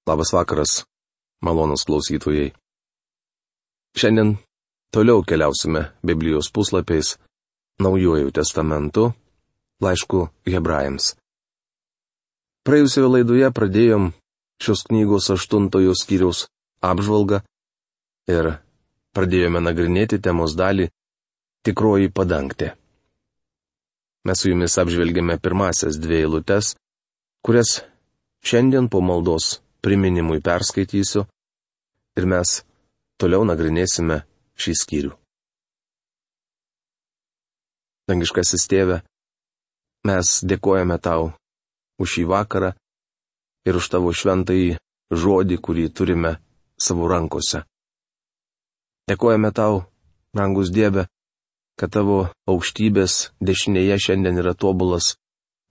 Labas vakaras, malonus klausytojai. Šiandien toliau keliausime Biblijos puslapiais, Naujuoju testamentu, laišku Hebrajams. Praėjusioje laidoje pradėjom šios knygos 8 skyriaus apžvalgą ir pradėjome nagrinėti temos dalį Tikroji padangtė. Mes su jumis apžvelgėme pirmasias 2 eilutes, kurias šiandien po maldos priminimui perskaitysiu ir mes toliau nagrinėsime šį skyrių. Dangiškasis Tėve, mes dėkojame Tau už šį vakarą ir už Tavo šventąjį žodį, kurį turime savo rankose. Dėkojame Tau, brangus Dieve, kad Tavo aukštybės dešinėje šiandien yra tobulas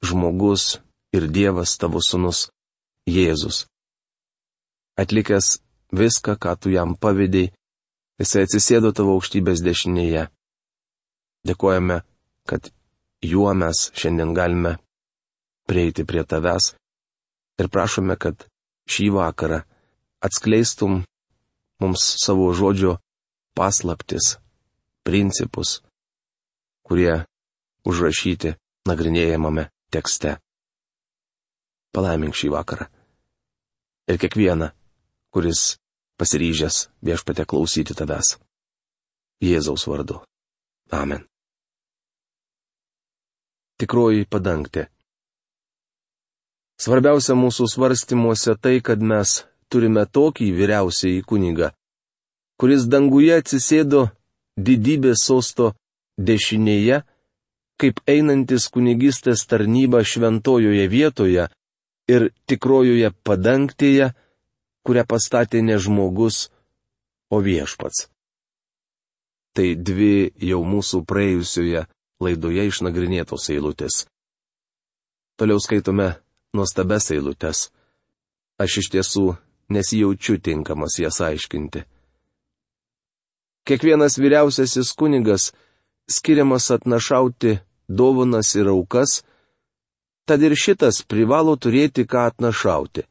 žmogus ir Dievas Tavo sūnus Jėzus. Atlikęs viską, ką Tu jam pavedei, Jisai atsisėdo Tavo aukštybės dešinėje. Dėkojame, kad juo mes šiandien galime prieiti prie Tavęs ir prašome, kad šį vakarą atskleistum mums savo žodžio paslaptis, principus, kurie užrašyti nagrinėjamame tekste. Palaimink šį vakarą ir kiekvieną, kuris pasiryžęs Viešpatie klausyti Tavęs. Jėzaus vardu. Amen. Tikroji padangtė. Svarbiausia mūsų svarstymuose tai, kad mes turime tokį vyriausiąjį kunigą, kuris danguje atsisėdo didybės sosto dešinėje, kaip einantis kunigystės tarnyba šventojoje vietoje ir tikrojoje padangtėje, kurią pastatė ne žmogus, o Viešpats. Tai 2 jau mūsų praėjusioje laidoje išnagrinėtos eilutės. Toliau skaitome nuostabias eilutes. Aš iš tiesų nesijaučiu tinkamas jas aiškinti. Kiekvienas vyriausiasis kunigas skiriamas atnašauti dovanas ir aukas, tad ir šitas privalo turėti ką atnašauti.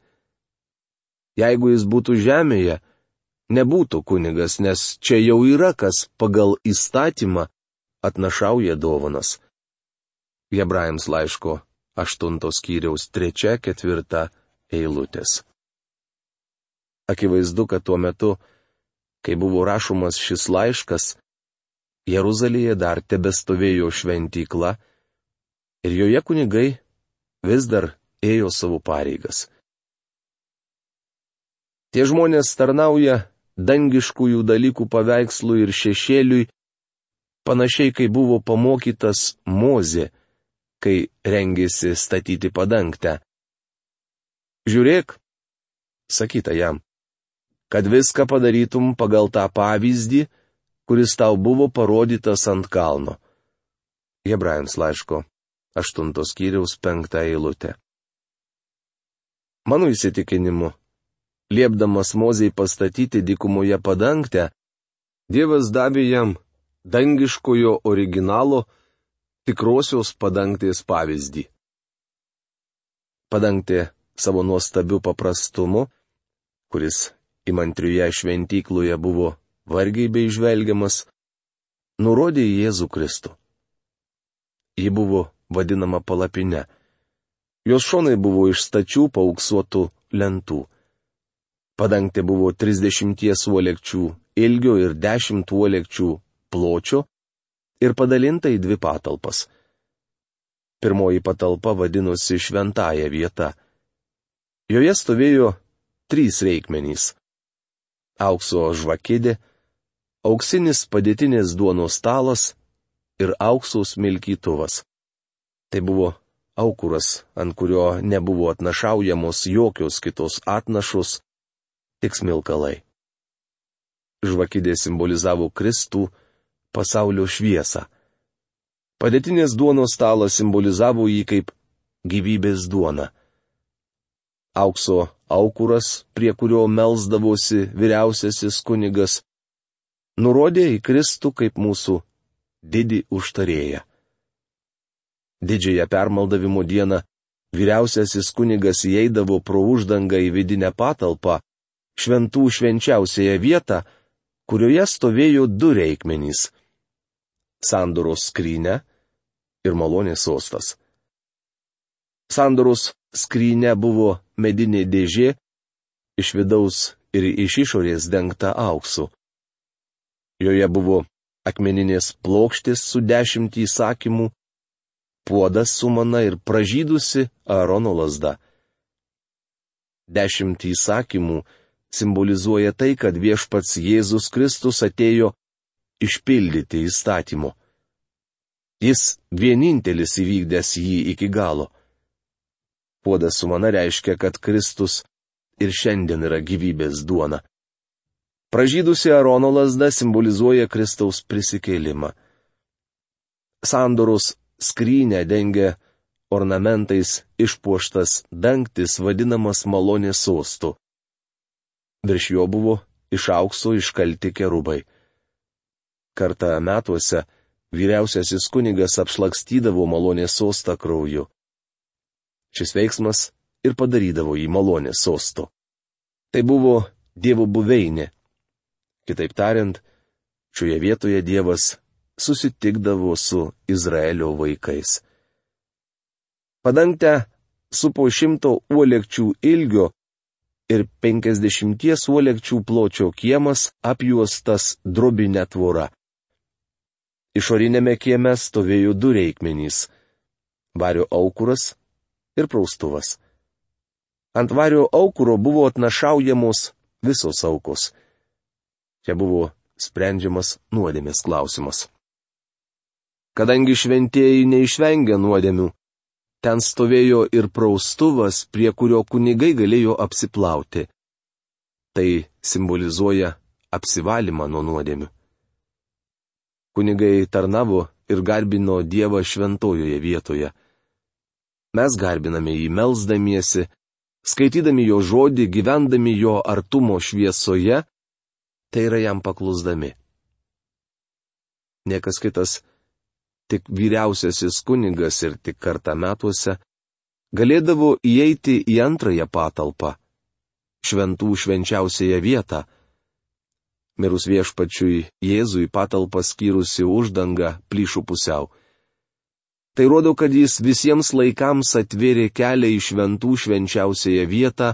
Jeigu jis būtų žemėje, nebūtų kunigas, nes čia jau yra kas pagal įstatymą atnašauja dovanas. Hebrajams laiško 8 skyriaus 3-4 eilutės. Akivaizdu, kad tuo metu, kai buvo rašomas šis laiškas, Jeruzalėje dar tebestovėjo šventykla ir joje kunigai vis dar ėjo savo pareigas. Tie žmonės tarnauja dangiškųjų dalykų paveikslui ir šešėliui, panašiai kaip buvo pamokytas Mozė, kai rengėsi statyti padangtę. Žiūrėk, sakyta jam, kad viską padarytum pagal tą pavyzdį, kuris tau buvo parodytas ant kalno. Hebrajams laiško 8 skyriaus 5 eilutė. Mano įsitikinimu, liepdamas Mozei pastatyti dykumoje padangtę, Dievas davė jam dangiškojo originalo tikrosios padangtės pavyzdį. Padangtė savo nuostabiu paprastumu, kuris įmantrioje šventykloje buvo vargiai beįžvelgiamas, nurodė į Jėzų Kristų. Ji buvo vadinama palapine. Jos šonai buvo iš stačių paauksuotų lentų. Padangtė buvo 30 uolekčių ilgio ir 10 uolekčių pločio ir padalinta į 2 patalpas. Pirmoji patalpa vadinosi šventąja vieta. Joje stovėjo 3 reikmenys: aukso žvakidė, auksinis padėtinės duonos stalas ir aukso smilkytuvas. Tai buvo aukuras, ant kurio nebuvo atnašaujamos jokios kitos atnašos, tik smilkalai. Žvakidė simbolizavo Kristų, pasaulio šviesą. Padėtinės duonos stalas simbolizavo jį kaip gyvybės duona. Aukso aukuras, prie kurio melsdavosi vyriausiasis kunigas, nurodė į Kristų kaip mūsų didį užtarėją. Didžiąją permaldavimo dieną vyriausiasis kunigas įeidavo pro uždangą į vidinę patalpą, šventų švenčiausiąją vietą, kurioje stovėjo du reikmenys - sandoros skrynia ir malonės sostas. Sandoros skrynia buvo medinė dėžė, iš vidaus ir iš išorės dengta auksu. Joje buvo akmeninės plokštės su 10 įsakymų, puodas su mana ir pražydusi Aarono lazda. 10 įsakymų simbolizuoja tai, kad viešpats Jėzus Kristus atėjo išpildyti įstatymo. Jis vienintelis įvykdęs jį iki galo. Puodas su mana reiškia, kad Kristus ir šiandien yra gyvybės duona. Pražydusi Aarono lazda simbolizuoja Kristaus prisikėlimą. Sandoros skrynę dengia ornamentais išpuoštas dangtis vadinamas malonės sostu. Virš jo buvo iš aukso iškalti kerubai. Kartą metuose vyriausiasis kunigas apšlakstydavo malonės sostą krauju. Šis veiksmas ir padarydavo jį malonės sostu. Tai buvo Dievo buveinė. Kitaip tariant, šioje vietoje Dievas susitikdavo su Izraelio vaikais. Padangtę supo 100 uolekčių ilgio ir 50 uolekčių pločio kiemas apjuostas drobinė tvora. Išorinėme kieme stovėjo 2 reikmenys - vario aukuras ir praustuvas. Ant vario aukuro buvo atnašaujamos visos aukos. Čia buvo sprendžiamas nuodėmės klausimas. Kadangi šventieji neišvengė nuodėmių, ten stovėjo ir praustuvas, prie kurio kunigai galėjo apsiplauti. Tai simbolizuoja apsivalymą nuo nuodėmių. Kunigai tarnavo ir garbino Dievą šventojoje vietoje. Mes garbiname jį melsdamiesi, skaitydami jo žodį, gyvendami jo artumo šviesoje, tai yra jam paklusdami. Niekas kitas, tik vyriausiasis kunigas ir tik kartą metuose, galėdavo įeiti į antrąją patalpą - šventų švenčiausiąją vietą. Mirus viešpačiui Jėzui patalpą skyrusi uždanga plyšų pusiau. Tai rodo, kad jis visiems laikams atvėrė kelią į šventų švenčiausiąją vietą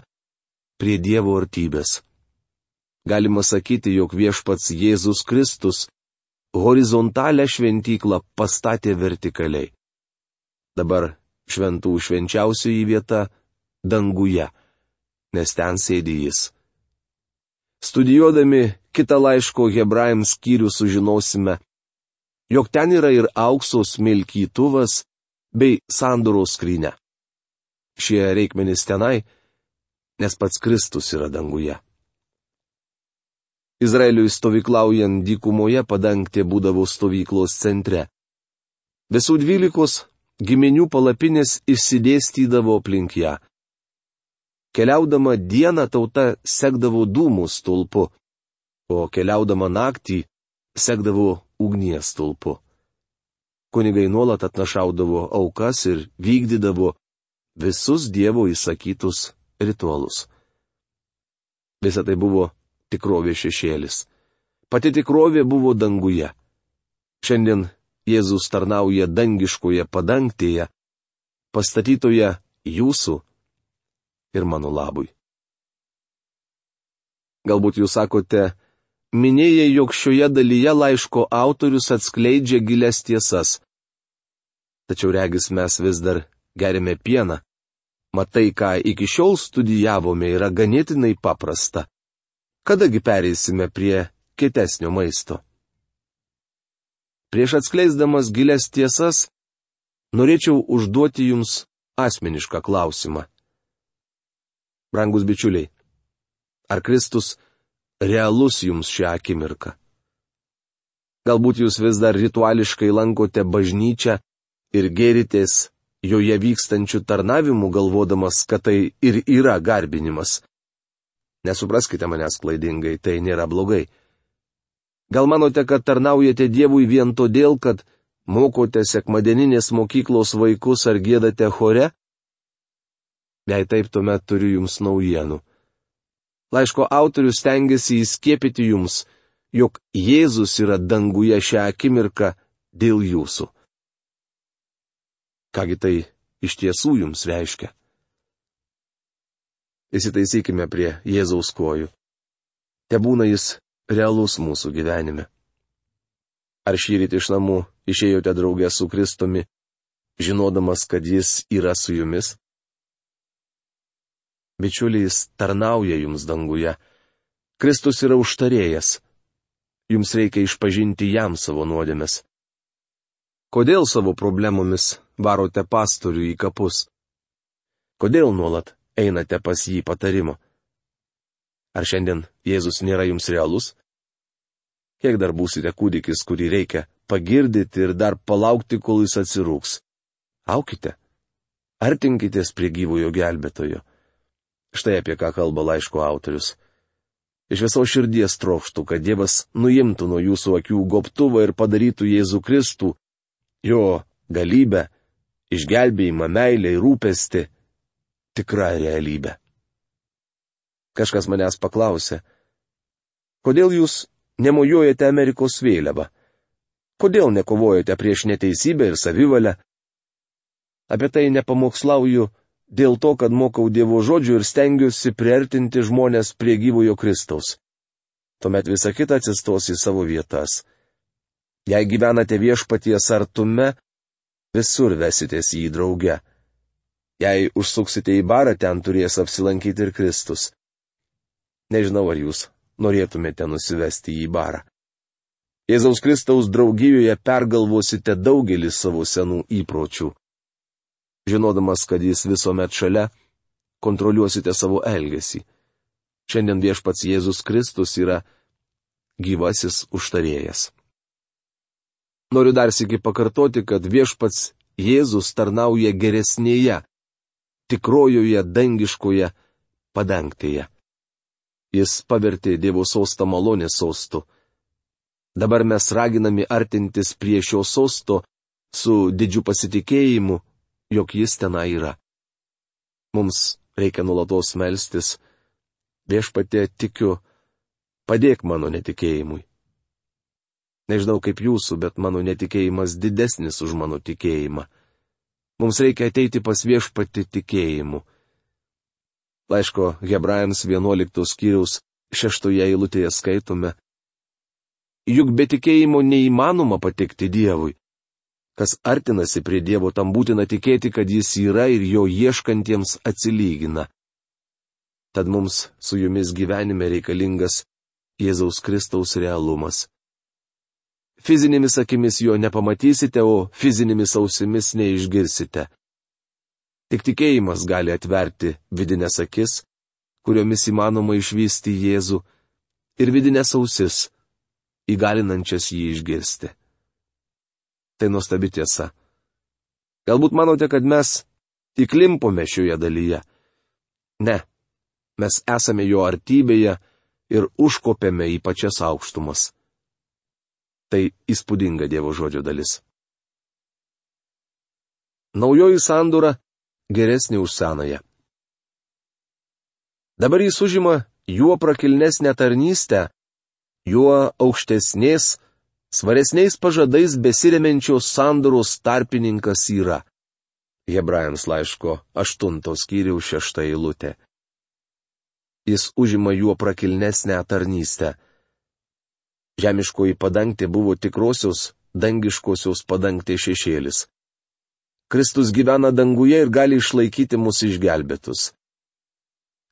prie Dievo artybės. Galima sakyti, jog viešpats Jėzus Kristus horizontalią šventyklą pastatė vertikaliai. Dabar šventų švenčiausioji vieta danguje, nes ten sėdi jis. Studijuodami kitą laiško Hebrajams skyrių sužinosime, jog ten yra ir aukso smilkytuvas bei sandoros skrynia. Šie reikmenys tenai, nes pats Kristus yra danguje. Izraeliui stovyklaujant dykumoje padangtė būdavo stovyklos centre. Visų 12 giminių palapinės išsidėstydavo aplink ją. Keliaudama dieną tauta sekdavo dūmų stulpu, o keliaudama naktį sekdavo ugnies stulpu. Kunigai nuolat atnašaudavo aukas ir vykdydavo visus Dievo įsakytus ritualus. Visa tai buvo tikrovės šešėlis. Pati tikrovė buvo danguje. Šiandien Jėzus tarnauja dangiškoje padangtėje, pastatytoje jūsų ir mano labui. Galbūt jūs sakote, minėjai, jog šioje dalyje laiško autorius atskleidžia gilias tiesas. Tačiau regis mes vis dar gerime pieną. Matai, ką iki šiol studijavome, yra ganėtinai paprasta. Kadagi pereisime prie kietesnio maisto? Prieš atskleisdamas gilias tiesas, norėčiau užduoti jums asmenišką klausimą. Brangus bičiuliai, ar Kristus realus jums šią akimirką? Galbūt jūs vis dar rituališkai lankote bažnyčią ir gėritės joje vykstančių tarnavimų, galvodamas, kad tai ir yra garbinimas. Nesupraskite manęs klaidingai, tai nėra blogai. Gal manote, kad tarnaujate Dievui vien todėl, kad mokote sekmadieninės mokyklos vaikus ar giedate chore? Jei taip, tuomet turiu jums naujienų. Laiško autorius stengiasi įskiepyti jums, jog Jėzus yra danguje šią akimirką dėl jūsų. Kągi tai iš tiesų jums reiškia? Įsitaisykime prie Jėzaus kojų. Tebūna jis realus mūsų gyvenime. Ar šįryt iš namų išėjote draugė su Kristumi, žinodamas, kad jis yra su jumis? Bičiuliai, jis tarnauja jums danguje. Kristus yra užtarėjas. Jums reikia išpažinti jam savo nuodėmes. Kodėl savo problemomis varote pastorių į kapus? Kodėl nuolat einate pas jį patarimo? Ar šiandien Jėzus nėra jums realus? Kiek dar būsite kūdikis, kurį reikia pagirdyti ir dar palaukti, kol jis atsirūks? Aukite. Artinkitės prie gyvojo gelbėtojo. Štai apie ką kalba laiško autorius. Iš viso širdies trokštų, kad Dievas nuimtų nuo jūsų akių gobtuvą ir padarytų Jėzų Kristų, jo galybę, išgelbėjimą, meilę ir rūpestį tikrą realybę. Kažkas manęs paklausė, kodėl jūs nemojuojate Amerikos vėliavą? Kodėl nekovojate prieš neteisybę ir savivalę? Apie tai nepamokslauju dėl to, kad mokau Dievo žodžių ir stengiuosi priartinti žmonės prie gyvojo Kristaus. Tuomet visa kita atsistos į savo vietas. Jei gyvenate viešpaties artume, visur vesitės jį drauge. Jei užsuksite į barą, ten turės apsilankyti ir Kristus. Nežinau, ar jūs norėtumėte nusivesti į barą. Jėzaus Kristaus draugijoje pergalvosite daugelį savo senų įpročių. Žinodamas, kad jis visuomet šalia, kontroliuosite savo elgesį. Šiandien viešpats Jėzus Kristus yra gyvasis užtarėjas. Noriu dar sykį pakartoti, kad viešpats Jėzus tarnauja geresnėje, tikrojoje dangiškoje padangtėje. Jis pavertė Dievo sostą malonės sostu. Dabar mes raginami artintis prie šio sosto su didžiu pasitikėjimu, jog jis tenai yra. Mums reikia nuolatos melstis. Viešpatie, tikiu, padėk mano netikėjimui. Nežinau kaip jūsų, bet mano netikėjimas didesnis už mano tikėjimą. Mums reikia ateiti pas viešpatį tikėjimu. Laiško Hebrajams 11 skyriaus 6 eilutėje skaitome: Juk be tikėjimo neįmanoma patikti Dievui. Kas artinasi prie Dievo, tam būtina tikėti, kad jis yra ir jo ieškantiems atsilygina. Tad mums su jumis gyvenime reikalingas Jėzaus Kristaus realumas. Fizinėmis akimis jo nepamatysite, o fizinėmis ausimis neišgirsite. Tik tikėjimas gali atverti vidinės akis, kuriomis įmanoma išvysti Jėzų, ir vidinės ausis, įgalinančias jį išgirsti. Tai nuostabi tiesa. Galbūt manote, kad mes įklimpome šioje dalyje. Ne, mes esame jo artybėje ir užkopėme į pačias aukštumas. Tai įspūdinga Dievo žodžio dalis. Naujoji sandora geresnė už senąją. Dabar jis užima juo prakilnesnę tarnystę, juo aukštesnės, svaresniais pažadais besiremiančios sandoros tarpininkas yra. Hebrajams laiško 8 skyriaus 6 eilutė. Jis užima juo prakilnesnę tarnystę. Žemiškoji padangtė buvo tikrosios, dangiškosios padangtės šešėlis. Kristus gyvena danguje ir gali išlaikyti mus išgelbėtus.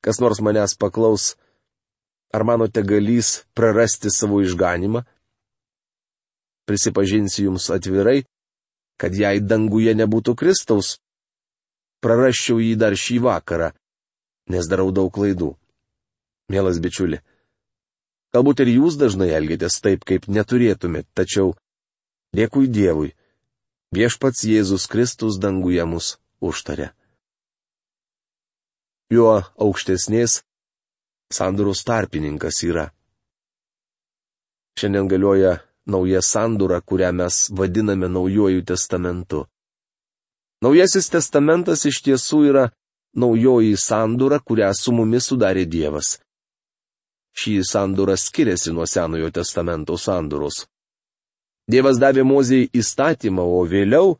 Kas nors manęs paklaus, ar manote galys prarasti savo išganimą? Prisipažinsiu jums atvirai, kad jei danguje nebūtų Kristaus, prarasčiau jį dar šį vakarą, nes darau daug klaidų. Mielas bičiuli, galbūt ir jūs dažnai elgiatės taip, kaip neturėtumėt, tačiau dėkui Dievui, viešpats Jėzus Kristus danguje mus užtarė. Juo aukštesnės sandoros tarpininkas yra. Šiandien galioja nauja sandora, kurią mes vadiname Naujuoju testamentu. Naujasis testamentas iš tiesų yra naujoji sandora, kurią su mumis sudarė Dievas. Šį sandorą skiriasi nuo Senojo testamento sandoros. Dievas davė Mozei įstatymą, o vėliau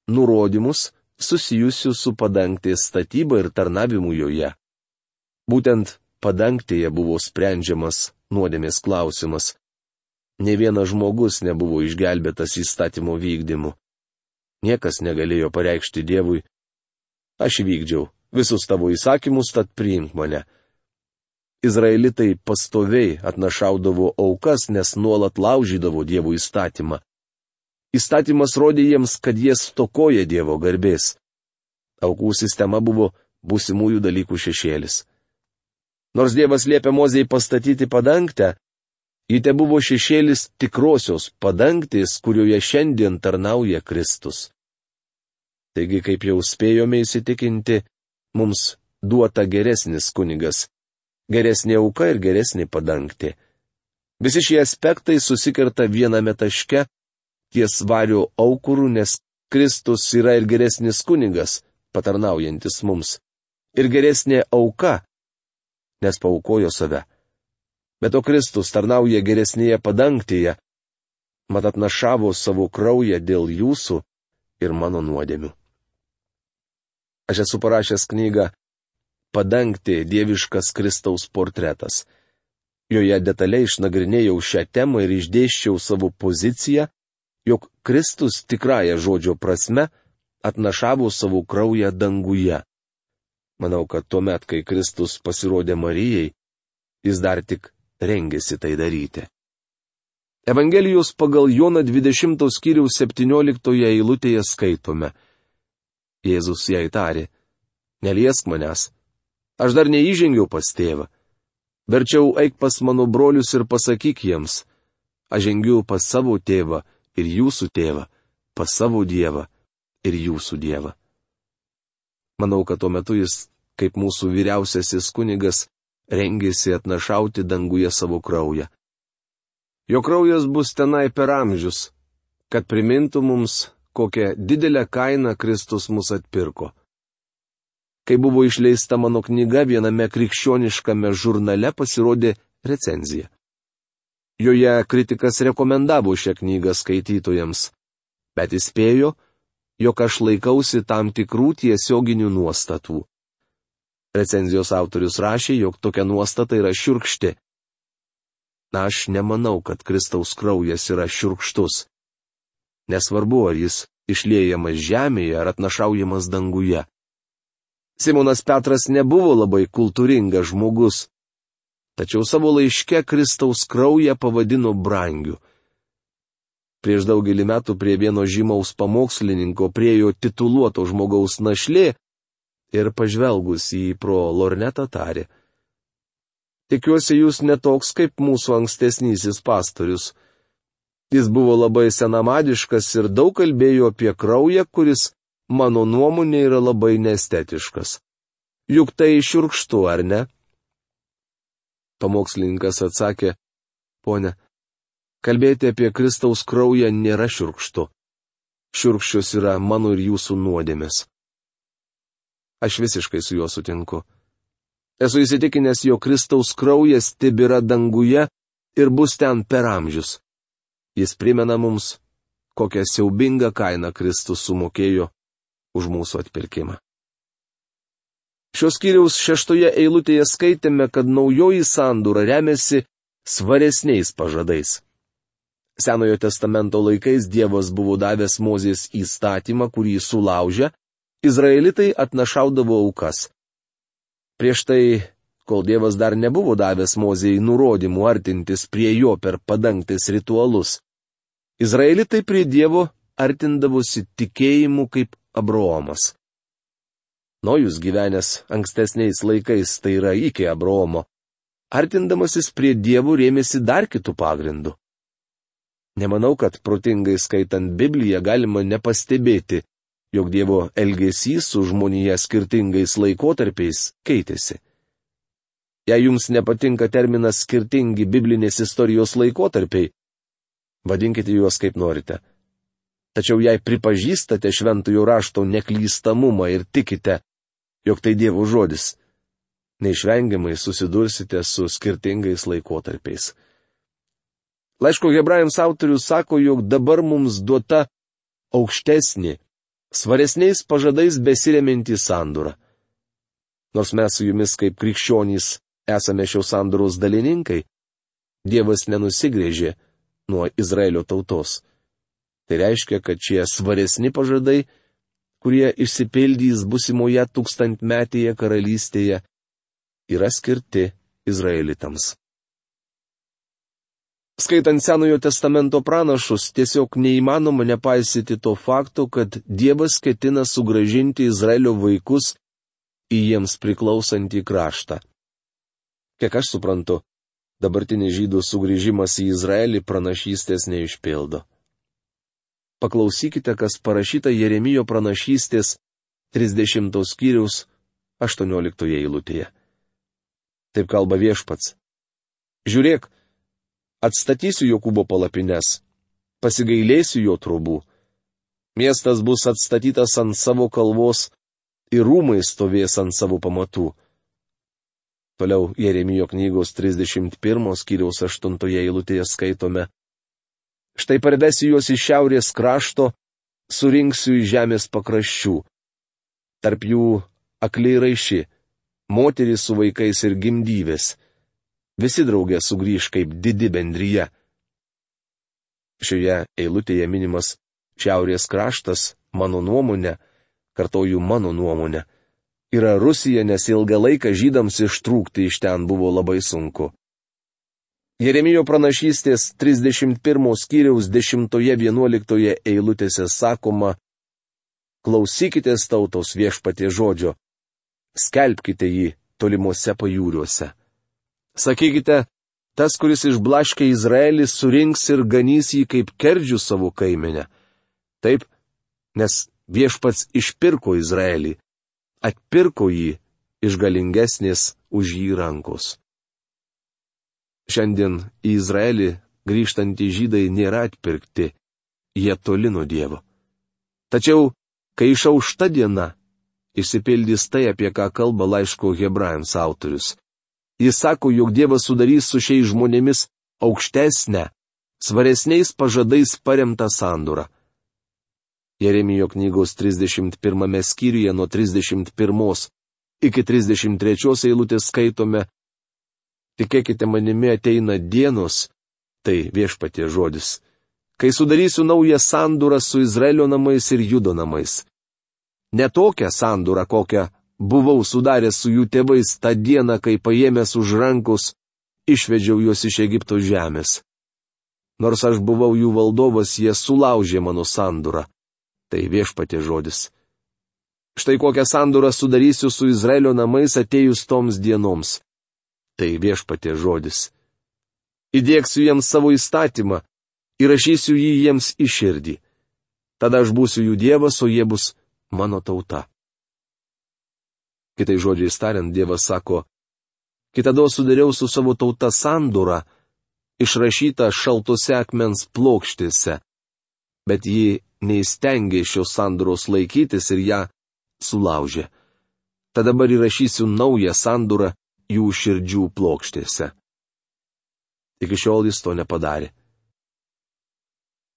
nurodymus susijusius su padangtės statyba ir tarnavimu joje. Būtent padangtėje buvo sprendžiamas nuodėmės klausimas. Nė vienas žmogus nebuvo išgelbėtas įstatymo vykdymu. Niekas negalėjo pareikšti Dievui: aš vykdžiau visus tavo įsakymus, tad priimk mane. Izraelitai pastoviai atnašaudavo aukas, nes nuolat laužydavo Dievo įstatymą. Įstatymas rodė jiems, kad jie stokoja Dievo garbės. Aukų sistema buvo būsimųjų dalykų šešėlis. Nors Dievas liepė Mozei pastatyti padangtę, ji tebuvo šešėlis tikrosios padangtės, kurioje šiandien tarnauja Kristus. Taigi, kaip jau spėjome įsitikinti, mums duota geresnis kunigas, geresnė auka ir geresnė padangtė. Visi šie aspektai susikerta viename taške ties vario aukurų, nes Kristus yra ir geresnis kunigas, patarnaujantis mums, ir geresnė auka, nes paaukojo save. Bet o Kristus tarnauja geresnėje padangtėje, mat atnašavo savo kraują dėl jūsų ir mano nuodėmių. Aš esu parašęs knygą Padangtė – dieviškas Kristaus portretas. Joje detaliai išnagrinėjau šią temą ir išdėsčiau savo poziciją, jog Kristus tikrąja žodžio prasme atnašavo savo kraują danguje. Manau, kad tuomet, kai Kristus pasirodė Marijai, jis dar tik rengėsi tai daryti. Evangelijos pagal Joną 20 skyriaus 17 eilutėje skaitome: Jėzus jai tarė: neliesk manęs, aš dar neįžengiau pas tėvą. Verčiau eik pas mano brolius ir pasakyk jiems: aš žengiu pas savo tėvą ir jūsų tėvą, pas savo Dievą ir jūsų Dievą. Manau, kad tuo metu jis, kaip mūsų vyriausiasis kunigas, rengėsi atnašauti danguje savo kraują. Jo kraujas bus tenai per amžius, kad primintų mums, kokią didelę kainą Kristus mus atpirko. Kai buvo išleista mano knyga, viename krikščioniškame žurnale pasirodė recenzija. Joje kritikas rekomendavo šią knygą skaitytojams, bet įspėjo, jog aš laikausi tam tikrų tiesioginių nuostatų. Recenzijos autorius rašė, jog tokia nuostata yra šiurkšti. Aš nemanau, kad Kristaus kraujas yra šiurkštus. Nesvarbu, ar jis išliejamas žemėje ar atnašaujamas danguje. Simonas Petras nebuvo labai kultūringas žmogus, tačiau savo laiške Kristaus kraują pavadino brangiu. Prieš daugelį metų prie vieno žymaus pamokslininko priėjo tituluoto žmogaus našlė ir pažvelgus į pro lornetą tarė: tikiuosi, jūs netoks kaip mūsų ankstesnysis pastorius. Jis buvo labai senamadiškas ir daug kalbėjo apie kraują, kuris, mano nuomonė, yra labai neestetiškas. Juk tai šiurkštu, ar ne? Pamokslininkas atsakė: ponia, kalbėti apie Kristaus kraują nėra šiurkštu. Šiurkščios yra mano ir jūsų nuodėmės. Aš visiškai su juo sutinku. Esu įsitikinęs, jog Kristaus kraujas tebėra danguje ir bus ten per amžius. Jis primena mums, kokią siaubingą kainą Kristus sumokėjo už mūsų atpirkimą. Šios skyriaus 6 eilutėje skaitėme, kad naujoji sandora remiasi svaresniais pažadais. Senojo testamento laikais Dievas buvo davęs Mozės įstatymą, kurį sulaužę, izraelitai atnašaudavo aukas. Prieš tai, kol Dievas dar nebuvo davęs Mozei nurodymų artintis prie jo per padangtės ritualus, izraelitai prie Dievo artindavosi tikėjimu kaip Abraomas. Nojus gyvenęs ankstesniais laikais, tai yra iki Abraomo, artindamasis prie Dievo rėmėsi dar kitų pagrindų. Nemanau, kad protingai skaitant Bibliją galima nepastebėti, jog Dievo elgesys su žmonija skirtingais laikotarpiais keitėsi. Jei jums nepatinka terminas skirtingi biblinės istorijos laikotarpiai, vadinkite juos kaip norite. Tačiau jei pripažįstate šventojo rašto neklystamumą ir tikite, jog tai Dievo žodis. Neišvengiamai susidursite su skirtingais laikotarpiais. Laiško Hebrajams autorius sako, jog dabar mums duota aukštesnė, svaresniais pažadais besiremianti sandora. Nors mes su jumis kaip krikščionys esame šios sandoros dalininkai, Dievas nenusigrėžė nuo Izraelio tautos. Tai reiškia, kad šie svaresni pažadai, kurie išsipildys busimoje tūkstantmetėje karalystėje, yra skirti izraelitams. Skaitant Senojo testamento pranašus, tiesiog neįmanoma nepaisyti to fakto, kad Dievas ketina sugrąžinti Izraelio vaikus į jiems priklausantį kraštą. Kiek aš suprantu, dabartinis žydų sugrįžimas į Izraelį pranašystės neišpildo. Paklausykite, kas parašyta Jeremijo pranašystės 30 skyriaus 18 eilutėje. Taip kalba Viešpats. Žiūrėk, atstatysiu Jokūbo palapines, pasigailėsiu jo trobų. Miestas bus atstatytas ant savo kalvos ir rūmai stovės ant savo pamatų. Toliau Jeremijo knygos 31 skyriaus 8 eilutėje skaitome. Štai parvesiu juos iš šiaurės krašto, surinksiu iš žemės pakraščių. Tarp jų akliai raiši, moterys su vaikais ir gimdyvės. Visi draugė sugrįž kaip didi bendryje. Šioje eilutėje minimas šiaurės kraštas, mano nuomonė, kartoju mano nuomonę, yra Rusija, nes ilgą laiką žydams ištrūkti iš ten buvo labai sunku. Jeremijo pranašystės 31 skyriaus 10-11 eilutėse sakoma, klausykitės tautos Viešpaties žodžio, skelbkite jį tolimuose pajūriuose. Sakykite, tas, kuris išblaškė Izraelį, surinks ir ganys jį kaip kerdžių savo kaimenę. Taip, nes Viešpats išpirko Izraelį, atpirko jį iš galingesnės už jį rankos. Šiandien į Izraelį grįžtantys žydai nėra atpirkti, jie toli nuo Dievo. Tačiau, kai išaušta diena, išsipildys tai, apie ką kalba laiško Hebrajams autorius. Jis sako, jog Dievas sudarys su šiais žmonėmis aukštesnę, svaresniais pažadais paremtą sandorą. Jeremijo knygos 31 skyriuje nuo 31 iki 33 eilutės skaitome, tikėkite manimi ateina dienos, tai Viešpaties žodis, kai sudarysiu naują sandorą su Izraelio namais ir Judo namais. Ne tokią sandorą, kokią buvau sudaręs su jų tėvais tą dieną, kai paėmęs už rankos, išvedžiau juos iš Egipto žemės. Nors aš buvau jų valdovas, jie sulaužė mano sandorą. Tai Viešpaties žodis. Štai kokią sandorą sudarysiu su Izraelio namais atėjus toms dienoms. Tai Viešpaties žodis. Įdėksiu jiems savo įstatymą, įrašysiu jį jiems į širdį. Tada aš būsiu jų Dievas, o jie bus mano tauta. Kitai žodžiais tariant, Dievas sako, kitados sudariau su savo tauta sandorą, išrašytą šaltose akmens plokštėse, bet ji neįstengė šios sandoros laikytis ir ją sulaužė. Tad dabar įrašysiu naują sandorą jų širdžių plokštėse. Iki šiol jis to nepadarė.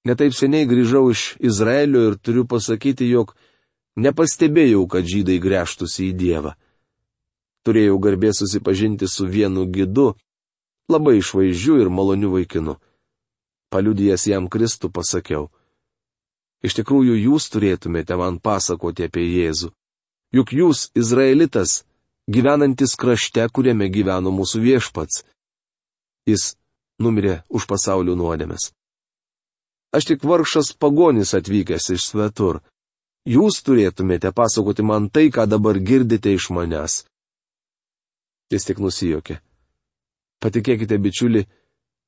Netaip seniai grįžau iš Izraelio ir turiu pasakyti, jog nepastebėjau, kad žydai gręžtųsi į Dievą. Turėjau garbės susipažinti su vienu gidu, labai išvaizdžiu ir maloniu vaikinu. Paliudijęs jam Kristų pasakiau, iš tikrųjų jūs turėtumėte man pasakoti apie Jėzų. Juk jūs, izraelitas, gyvenantis krašte, kuriame gyveno mūsų Viešpats. Jis numirė už pasaulio nuodėmes. Aš tik vargšas pagonis atvykęs iš svetur. Jūs turėtumėte pasakoti man tai, ką dabar girdite iš manęs. Jis tik nusijuokė. Patikėkite, bičiuli,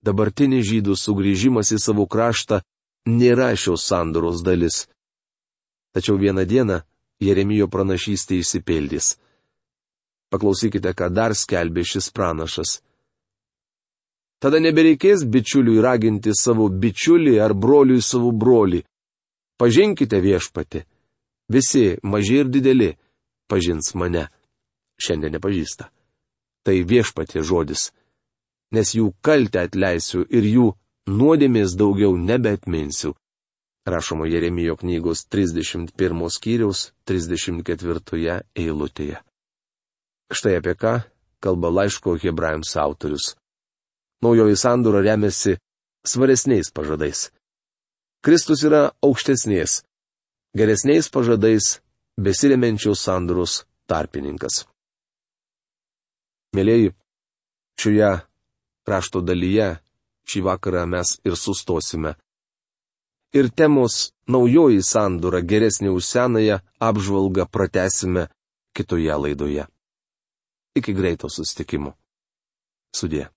dabartinis žydų sugrįžimas į savo kraštą nėra šios sandoros dalis. Tačiau vieną dieną Jeremijo pranašystė išsipildys. Paklausykite, ką dar skelbė šis pranašas. Tada nebereikės bičiuliui raginti savo bičiulį ar broliui savo brolį. Pažinkite Viešpatį. Visi, maži ir dideli, pažins mane. Šiandien nepažįsta. Tai Viešpaties žodis. Nes jų kaltę atleisiu ir jų nuodėmės daugiau nebeatminsiu. Rašoma Jeremijo knygos 31 skyriaus 34 eilutėje. Štai apie ką kalba laiško Hebrajams autorius. Naujoji sandora remiasi svaresniais pažadais. Kristus yra aukštesnės, geresniais pažadais besiremiančios sandoros tarpininkas. Mėlėjai, šioje rašto dalyje šį vakarą mes ir sustosime. Ir temos naujoji sandora geresnė už senąją apžvalgą pratęsime kitoje laidoje. Iki greito susitikimo. Sudie.